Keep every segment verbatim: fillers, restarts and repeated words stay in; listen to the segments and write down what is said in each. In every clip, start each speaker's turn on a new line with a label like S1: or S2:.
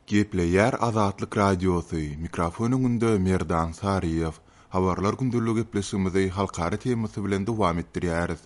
S1: Gepleýär Azatlyk Radiosy, mikrofon öňünde Merdan Saryýew. Habarlar gündeligi gepleşigimizi halkara temasy bilen dowam etdirýäris.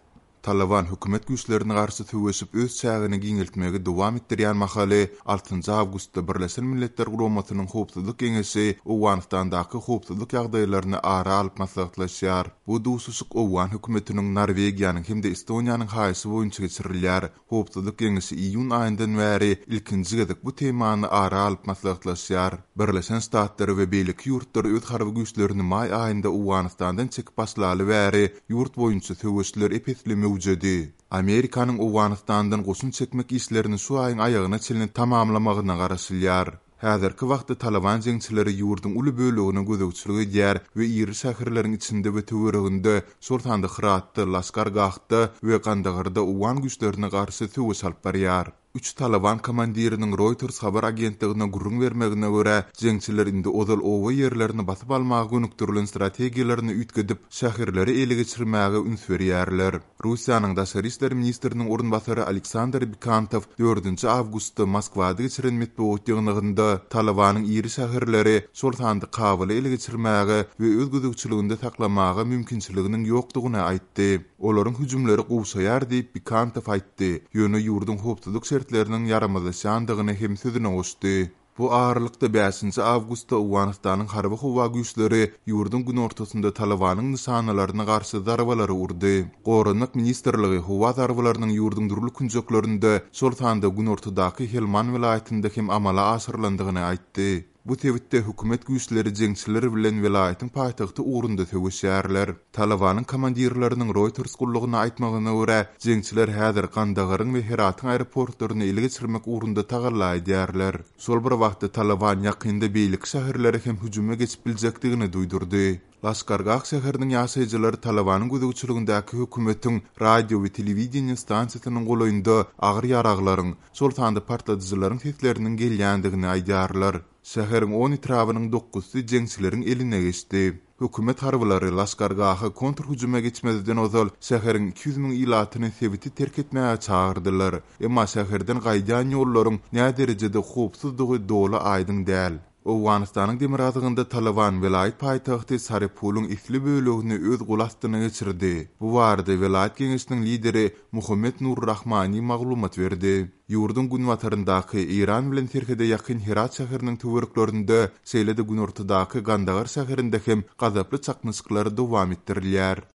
S1: Taliban hökümet güýçlerine garşy söweşip öz çägini giňeltmegi dowam etdirýän mahaly altynjy awgustda Birleşen Milletler Guramasynyň Howpsuzlyk Geňeşi Owganystandaky howpsuzlyk ýagdaýlaryny ara alyp maslahatlaşýar. Bu duşuşyk Owgan hökümetiniň, Norwegiýanyň hem-de Estoniýanyň haýyşy boýunça geçirilýär. Howpsuzlyk Geňeşi iýun aýyndan bäri ilkinji gezek bu temany ara alyp maslahatlaşýar. Birleşen Ştatlar we beýleki ýurtlar öz harby güýçlerini maý aýynda Owganystandan çekip başlaly bäri ýurt boýunça söweşler ep-esli möwjedi. Amerikanyň Owganystandan goşun çekmek işlerini şu aýyň aýagyna çenli tamamlamagyna garaşylýar. Häzirki wagtda Taliban jeňçileri ýurduň uly bölegine gözegçilik edýär we iri şäherleriň içinde we töwereginde, şol sanda Hyratda, Laşkargahda we Gandagarda owgan güýçlerine garşy söweş alyp barýar. Üç Taliban komandiriniň Reuters habar agentligine gürrüň bermegine görä, jeňçiler indi ozal oba ýerlerini basyp almaga gönükdirilen strategiýalaryny üýtgedip, şäherleri ele geçirmäge üns berýärler. Russiýanyň daşary işler ministriniň orunbasary Aleksandr Bikantow dördünji awgustda Moskwada geçiren metbugat ýygnagynda Talibanyň iri şäherleri, şol sanda Kabuly ele geçirmäge we öz gözegçiliginde saklamaga mümkinçiliginiň ýokdugyny aýtdy. Olaryň hüjümleri gowşaýar diýip Bikantow aýtdy. Ýöne ýurduň howpsuzlyk şertleriniň ýaramazlaşýandygyny hem sözüne goşdy. Bu aralykda bäşinji awgustda Owganystanyň harby howa güýçleri ýurduň günortasynda Talibanyň nyşanalaryna garşy zarbalary urdy. Goranmak ministrligi howa zarbalarynyň ýurduň dürli künjeklerinde, şol sanda günortadaky Helman welaýatynda hem amala aşyrylandygyny aýtdy. Bu sebitde hökümet güýçleri jeňçiler bilen welaýatyň paýtagty ugrunda söweşýärler. Talibanyň komandirleriniň Reuters gullugyna aýtmagyna görä, jeňçiler häzir Gandagaryň we Heratyň aeroportlaryny ele geçirmek ugrunda tagalla edýärler. Şol bir wagtda Taliban ýakynda beýleki şäherlere hem hüjüme geçip biljekdigini duýdurdy. Laşkargah şäheriniň ýaşaýjylary Talibanyň gözegçiligindäki hökümetiň radio we telewideniýe stansiýasynyň golaýynda agyr ýaraglaryň, şol sanda partladyjylaryň sesleriniň gelýändigini aýdýarlar. Şäheriň on etrabynyň dokuzsy jeňçileriň eline geçdi. Hökümet harbylary Laşkargaha kontrhüjüme geçmezden ozal şäheriň iki ýüz müň ilatyny sebiti terk etmäge çagyrdylar. Emma şäherden gaýdýan ýollaryň näderejede howpsuzdygy doly aýdyň däl. Owganystanyň demirgazygynda Taliban welaýat paýtagty Sarepulyň esli bölegini öz gol astyna geçirdi. Bu barada welaýat geňeşiniň lideri Muhammed Nur Rahmani maglumat berdi. Ýurduň günbataryndaky Eýran bilen serhede ýakyn Herat şäheriniň töwereklerinde, şeýle-de günortadaky Gandagar şäherinde hem gazaply çaknyşyklar dowam etdirilýär.